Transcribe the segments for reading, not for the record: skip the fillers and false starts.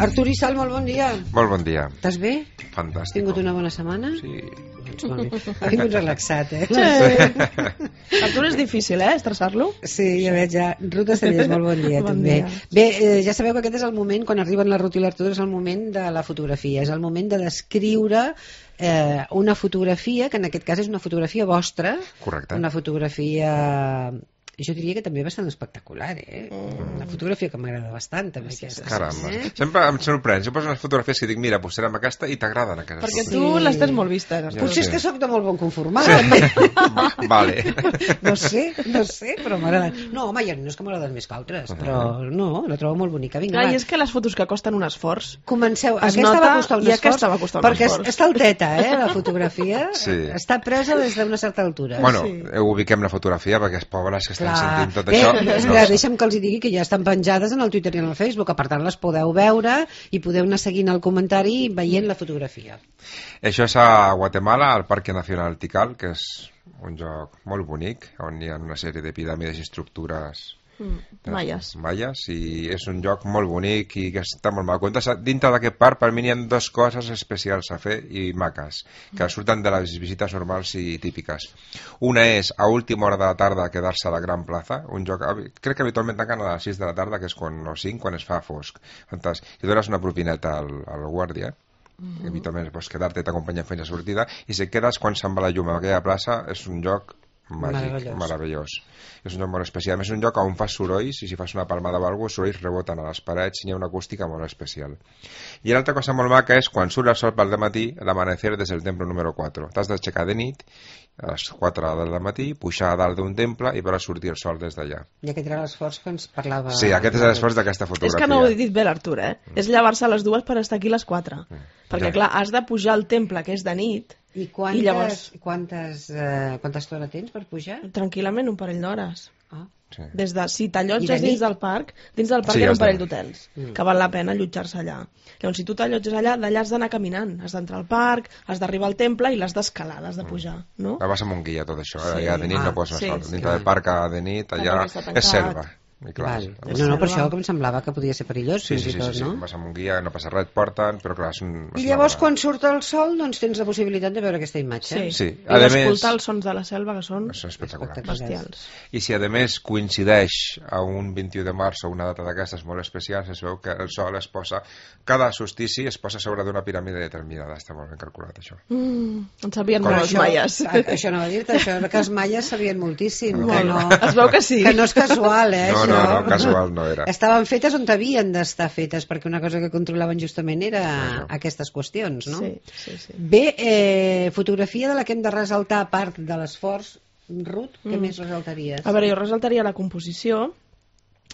Artur i Sal, molt bon dia. Molt bon dia. Estàs bé? Fantàstic. Has tingut una bona setmana? Sí. Doncs molt bé. Ha vingut relaxat, eh? Sí. Artur és difícil, estressar-lo? Sí, ja veig, ja. Ruta Cellers, molt bon dia, Bon també. dia. Bé, ja sabeu que aquest és el moment, quan arriben la Ruth i l'Artur, és el moment de la fotografia, és el moment de descriure una fotografia, que en aquest cas és una fotografia vostra. Correcte. Una fotografia... Jo diria que també bastant espectacular, Una fotografia que m'agrada bastant, també. Sí, sí, Caramba. Sempre em sorprèn. Jo poso unes fotografies que dic, mira, posarem aquesta i t'agraden aquestes. Perquè fotos. tu les tens molt vistes. Artur. Potser és que sóc de molt bon conformat. Vale. No sé, però m'agraden. No, home, no és que m'agraden més que altres, però no, la trobo molt bonica. Vinga, Clar, va. i és que les fotos que costen un esforç. Comenceu. Es Aquesta nota va costar un i esforç, aquesta va costar un perquè esforç. està alteta, la fotografia. Sí. Està presa des d'una certa altura. Bueno, Sí. ubiquem la fotografia perquè els pobres que estan Clar. sentint tot Bé, això... espera, deixa'm que els hi digui que ja estan penjades en el Twitter i en el Facebook, per tant les podeu veure i podeu anar seguint el comentari veient la fotografia. Això és a Guatemala, al Parque Nacional Tikal, que és un lloc molt bonic, on hi ha una sèrie de piràmides i estructures Maies. maies, i és un lloc molt bonic i que està molt mal. Dintre d'aquest parc, per mi hi ha dues coses especials a fer i maques, que surten de les visites normals i típiques. Una és, a última hora de la tarda, quedar-se a la Gran Plaza, un lloc, crec que habitualment tanquen a les 6 de la tarda, que és quan, o 5, quan es fa fosc. Fantàstic. I dones una propineta al guàrdia, habitualment pots quedar-te i t'acompanya fins a sortida, i si et quedes quan se'n va la llum a aquella plaça, és un lloc màgic, meravellós. És un lloc molt especial. És un lloc on fas sorolls i si fas una palmada o alguna cosa, els sorolls reboten a les parets i hi ha una acústica molt especial. I l'altra cosa molt maca és quan surt el sol pel dematí, l'amanecer des del temple número 4. T'has d'aixecar de nit a les 4 del matí, pujar a dalt d'un temple i veure sortir el sol des d'allà. I aquest era l'esforç que ens parlava... Sí, aquest és l'esforç d'aquesta fotografia. És que no ho he dit bé l'Artur, És llevar-se a les 2 per estar aquí a les 4. Perquè, Ja. clar, has de pujar al temple, que és de nit, I i llavors, quanta estona tens per pujar? tranquil·lament, un parell d'hores. Ah. Sí. Des de, si I de t'allotges nit? dins del parc Sí, hi ha un has parell de- d'hotels, que val la pena allotjar-se allà. Llavors, si tu t'allotges allà, d'allà has d'anar caminant, has d'entrar al parc, has d'arribar al temple i l'has d'escalar, l'has de pujar, no? Vas amb un guia, tot això. Sí. Allà de nit no pots anar sí, sol. sí. Dintre del parc de nit, allà Tampoc està tancat. és selva. I clar, Val. és- No, per això que em semblava que podia ser perillós, Sí, fins sí, i sí, tot, sí, no? vas amb un guia, no passa res, et porten, però clar, és un... I llavors, quan surt el sol, doncs tens la possibilitat de veure aquesta imatge. Sí. I A més- d'escoltar els sons de la selva, que són Això és espectacular. bestials. I si a més coincideix a un 21 de març o una data d'aquestes molt especials, es veu que el sol es posa, cada solstici es posa sobre d'una piràmide determinada. Està molt ben calculat, això. En sabien Com molt els maies. Això no va dir-te, això que els maies sabien moltíssim. Que Molt. no, Es veu que sí. Que no és casual, No, això. no, casual no era. Estaven fetes on havien d'estar fetes, perquè una cosa que controlaven justament era Això. aquestes qüestions, no? Sí, sí, sí. Bé, fotografia de la que hem de resaltar, a part de l'esforç, Ruth, què més resaltaries? A veure, jo resaltaria la composició,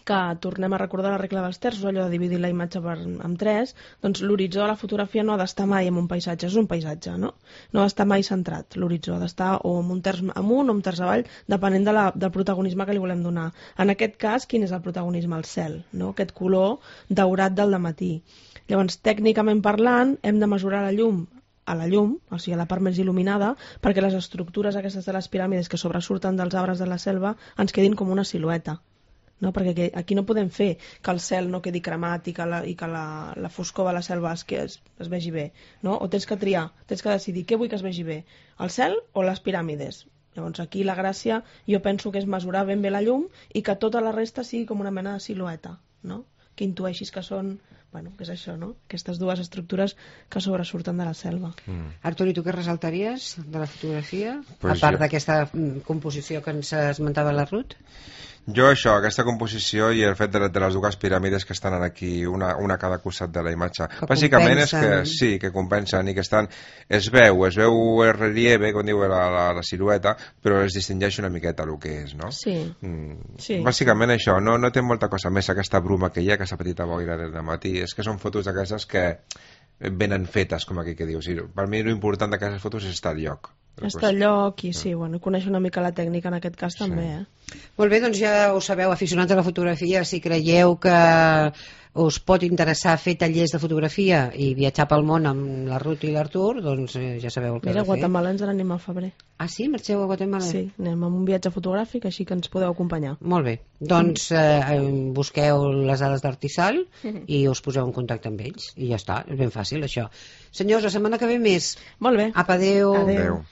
que tornem a recordar la regla dels terços, allò de dividir la imatge en 3, doncs l'horitzó de la fotografia no ha d'estar mai en un paisatge, és un paisatge, no? No ha d'estar mai centrat, l'horitzó ha d'estar o en un terç amunt o un terç avall, depenent del protagonisme que li volem donar. En aquest cas, quin és el protagonisme? El cel, no? Aquest color daurat del dematí. Llavors, tècnicament parlant, hem de mesurar la llum a la llum, o sigui, a la part més il·luminada, perquè les estructures aquestes de les piràmides que sobresurten dels arbres de la selva ens quedin com una silueta. No? Perquè aquí no podem fer que el cel no quedi cremat i que la foscor de la selva es vegi bé, no? O tens que triar, tens que decidir què vull que es vegi bé, el cel o les piràmides. Llavors aquí la gràcia jo penso que és mesurar ben bé la llum i que tota la resta sigui com una mena de silueta, no? Que intueixis que són, bueno, que és això, no? Aquestes dues estructures que sobresurten de la selva. Artur, i tu què resaltaries de la fotografia? Pues a part jo- d'aquesta composició que ens esmentava la Ruth? Jo això, aquesta composició i el fet de les dues piràmides que estan aquí, una a cada costat de la imatge. Que Bàsicament és compensen. que sí, que compensen i que estan... Es veu el relieve, com diu la silueta, però es distingeix una miqueta el que és, no? Sí. Sí. Bàsicament això, no té molta cosa més, aquesta bruma que hi ha, aquesta petita boira del matí, és que són fotos d'aquestes que venen fetes, com aquí que dius. I per mi l'important d'aquestes fotos és estar al lloc. Està al lloc i sí, bueno, conèixer una mica la tècnica en aquest cas també, Molt bé, doncs ja ho sabeu, aficionats a la fotografia, si creieu que us pot interessar fer tallers de fotografia i viatjar pel món amb la Ruth i l'Artur, doncs ja sabeu el que Mira, heu a de fer. Guatemala ens n'anem al febrer. Ah, sí? Marxeu a Guatemala? Sí, anem amb un viatge fotogràfic, així que ens podeu acompanyar. Molt bé, doncs busqueu les dades d'Artisal i us poseu en contacte amb ells i ja està, és ben fàcil això. Senyors, la setmana que ve més. Molt bé. Apa, adéu. Adéu. Adéu.